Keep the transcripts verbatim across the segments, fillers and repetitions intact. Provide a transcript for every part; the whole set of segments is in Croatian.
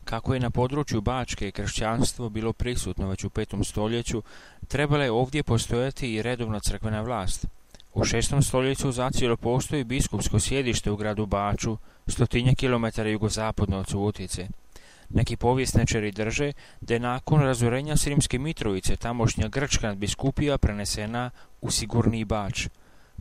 Kako je na području Bačke kršćanstvo bilo prisutno već u petom stoljeću, trebala je ovdje postojati i redovna crkvena vlast. U šestom stoljeću zacijelo postoji biskupsko sjedište u gradu Baču, stotinja kilometara jugozapadno od Subotice. Neki povjesničari drže da je nakon razorenja Sremske Mitrovice tamošnja grčka nadbiskupija prenesena u Sigurniji Bač.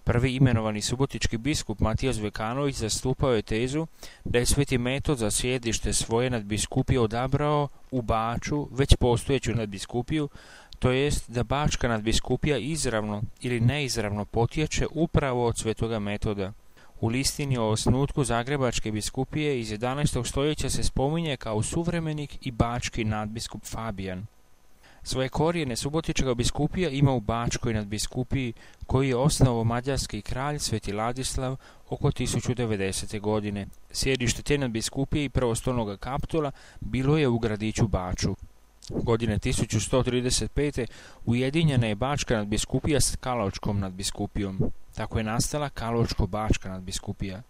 Prvi imenovani subotički biskup Matija Zvekanović zastupao je tezu da je Sveti Metod za sjedište svoje nadbiskupije odabrao u Baču već postojeću nadbiskupiju, to jest da Bačka nadbiskupija izravno ili neizravno potječe upravo od Svetoga Metoda. U listini o osnutku Zagrebačke biskupije iz jedanaestog stoljeća se spominje kao suvremenik i bački nadbiskup Fabijan. Svoje korijene subotička biskupija ima u Bačkoj nadbiskupiji koju je osnovao mađarski kralj Sveti Ladislav oko tisuću devedesete. godine. Sjedište te nadbiskupije i prvostolnog kapitula bilo je u gradiću Baču. Godine tisuću sto trideset pete. ujedinjena je Bačka nadbiskupija s Kaločkom nadbiskupijom. Tako je nastala Kaločko-Bačka nadbiskupija.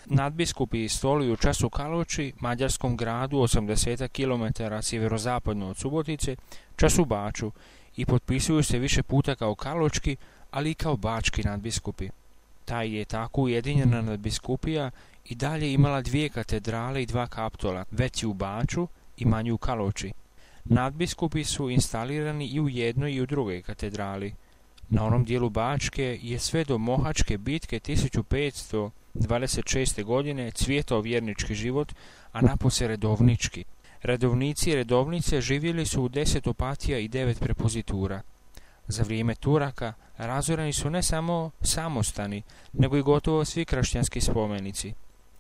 Nadbiskupi stoluju čas u Kaloči, mađarskom gradu osamdeset kilometara sjeverozapadno od Subotice, čas u Baču i potpisuju se više puta kao kaločki, ali i kao bački nadbiskupi. Ta je tako ujedinjena nadbiskupija i dalje imala dvije katedrale i dva kapitola, veći u Baču i manji u Kaloči. Nadbiskupi su instalirani i u jednoj i u drugoj katedrali. Na onom dijelu Bačke je sve do Mohačke bitke tisuću petsto dvadeset šeste. godine cvjetao vjernički život, a napose redovnički. Redovnici i redovnice živjeli su u deset opatija i devet prepozitura. Za vrijeme Turaka razoreni su ne samo samostani, nego i gotovo svi kršćanski spomenici.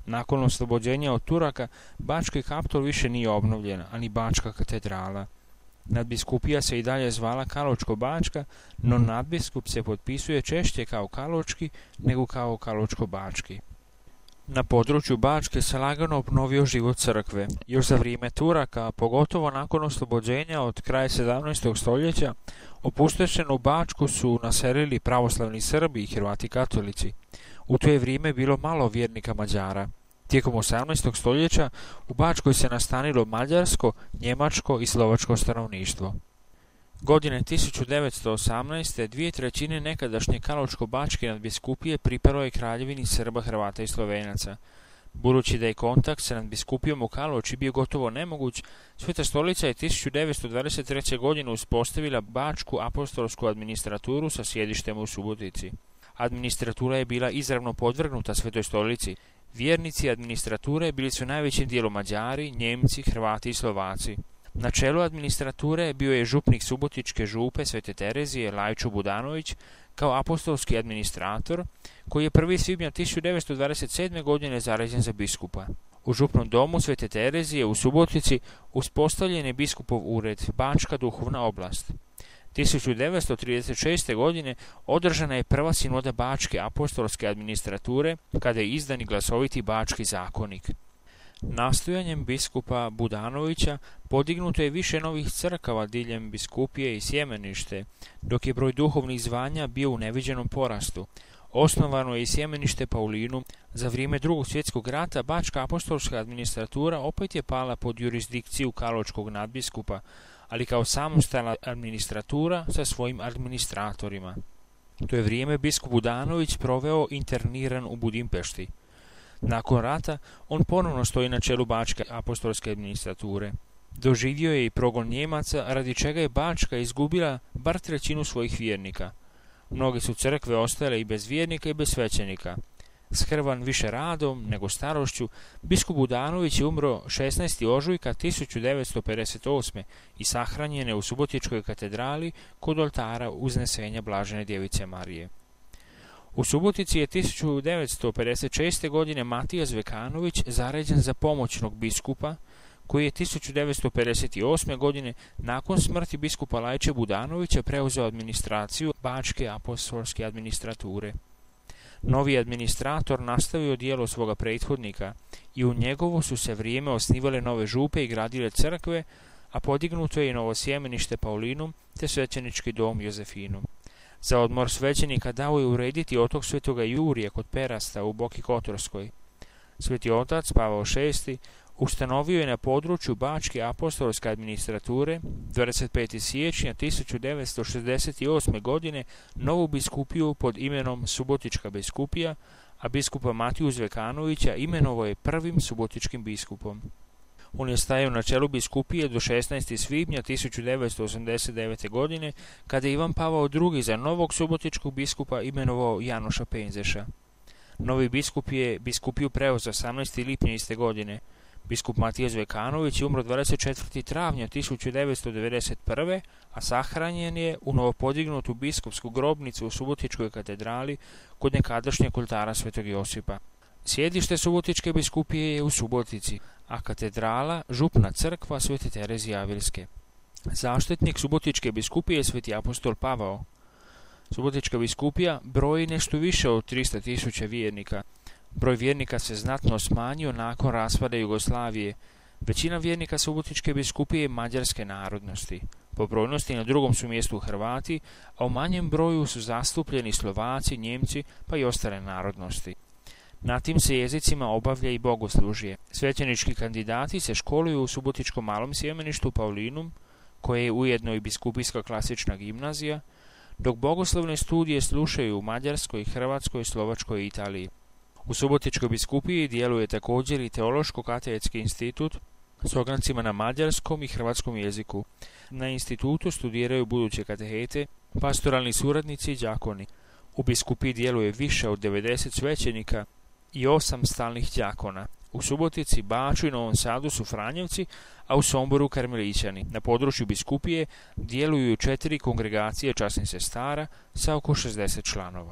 Nakon oslobođenja od Turaka, Bački kapitol više nije obnovljen, ani Bačka katedrala. Nadbiskupija se i dalje zvala Kaločko-Bačka, no nadbiskup se potpisuje češće kao Kaločki nego kao Kaločko-Bački. Na području Bačke se lagano obnovio život crkve. Još za vrijeme Turaka, pogotovo nakon oslobođenja od kraja sedamnaestog stoljeća, opustošenu Bačku su naselili pravoslavni Srbi i Hrvati katolici. U to je vrijeme bilo malo vjernika Mađara. Tijekom osamnaestog stoljeća u Bačkoj se nastanilo mađarsko, njemačko i slovačko stanovništvo. Godine tisuću devetsto osamnaeste. dvije trećine nekadašnje Kaločko-Bačke nadbiskupije pripalo je kraljevini Srba, Hrvata i Slovenaca. Budući da je kontakt sa nadbiskupijom u Kaloči bio gotovo nemoguć, Sveta stolica je tisuću devetsto dvadeset treće. godine uspostavila Bačku apostolsku administraturu sa sjedištem u Subotici. Administratura je bila izravno podvrgnuta Svetoj stolici. Vjernici administrature bili su najvećim dijelom Mađari, Njemci, Hrvati i Slovaci. Na čelu administrature bio je župnik Subotičke župe Svete Terezije Lajčo Budanović kao apostolski administrator, koji je prvog svibnja tisuću devetsto dvadeset sedme. godine zaređen za biskupa. U župnom domu Svete Terezije u Subotici uspostavljen je biskupov ured, Bačka duhovna oblast. tisuću devetsto trideset šeste. godine održana je prva sinoda Bačke apostolske administrature, kada je izdan i glasoviti Bački zakonik. Nastojanjem biskupa Budanovića podignuto je više novih crkava diljem biskupije i sjemenište, dok je broj duhovnih zvanja bio u neviđenom porastu. Osnovano je i sjemenište Paulinu. Za vrijeme Drugog svjetskog rata Bačka apostolska administratura opet je pala pod jurisdikciju Kaločkog nadbiskupa, ali kao samostalna administratura sa svojim administratorima. To je vrijeme biskup Budanović proveo interniran u Budimpešti. Nakon rata on ponovno stoji na čelu Bačke apostolske administrature. Doživio je i progon Njemaca, radi čega je Bačka izgubila bar trećinu svojih vjernika. Mnoge su crkve ostale i bez vjernika i bez svećenika. Skrvan više radom nego starošću, biskup Budanović je umro šesnaestog ožujka tisuću devetsto pedeset osme. i sahranjen je u Subotičkoj katedrali kod oltara Uznesenja Blažene djevice Marije. U Subotici je tisuću devetsto pedeset šeste. godine Matija Zvekanović zaređen za pomoćnog biskupa, koji je tisuću devetsto pedeset osme. godine nakon smrti biskupa Lajče Budanovića preuzeo administraciju Bačke apostolske administrature. Novi administrator nastavio djelo svoga prethodnika i u njegovo su se vrijeme osnivale nove župe i gradile crkve, a podignuto je i novo sjemenište Paulinum te svećenički dom Jozefinum. Za odmor svećenika dao je urediti otok Svetoga Jurija kod Perasta u Boki Kotorskoj. Sveti otac Pavao šesti ustanovio je na području Bačke apostolske administrature dvadeset petog siječnja tisuću devetsto šezdeset osme. godine novu biskupiju pod imenom Subotička biskupija, a biskupa Matiju Zvekanovića imenovao je prvim subotičkim biskupom. On je stajao na čelu biskupije do šesnaestog svibnja tisuću devetsto osamdeset devete. godine, kada je Ivan Pavao drugi za novog subotičkog biskupa imenovao Janoša Penzeša. Novi biskup je biskupiju preuzeo osamnaestog lipnja iste godine. Biskup Matija Zvekanović je umro dvadeset četvrtog travnja tisuću devetsto devedeset prve. a sahranjen je u novopodignutu biskupsku grobnicu u Subotičkoj katedrali kod nekadašnjeg oltara Svetog Josipa. Sjedište Subotičke biskupije je u Subotici, a katedrala župna crkva Svete Terezije Avilske. Zaštitnik Subotičke biskupije je Sveti apostol Pavao. Subotička biskupija broji nešto više od tristo tisuća vjernika. Broj vjernika se znatno smanjio nakon raspada Jugoslavije. Većina vjernika Subotičke biskupije je mađarske narodnosti. Po brojnosti na drugom su mjestu Hrvati, a u manjem broju su zastupljeni Slovaci, Njemci pa i ostale narodnosti. Na tim se jezicima obavlja i bogoslužje. Svećenički kandidati se školuju u Subotičkom malom sjemeništu Paulinum, koje je ujedno i biskupijska klasična gimnazija, dok bogoslovne studije slušaju u Mađarskoj, Hrvatskoj, Slovačkoj i Italiji. U Subotičkoj biskupiji djeluje također i Teološko-katedetski institut s ograncima na mađarskom i hrvatskom jeziku. Na institutu studiraju buduće katehete, pastoralni suradnici i đakoni. U biskupiji djeluje više od devedeset svećenika i osam stalnih đakona. U Subotici, Baču i Novom Sadu su Franjevci, a u Somboru Karmelićani. Na području biskupije djeluju četiri kongregacije časnih sestara sa oko šezdeset članova.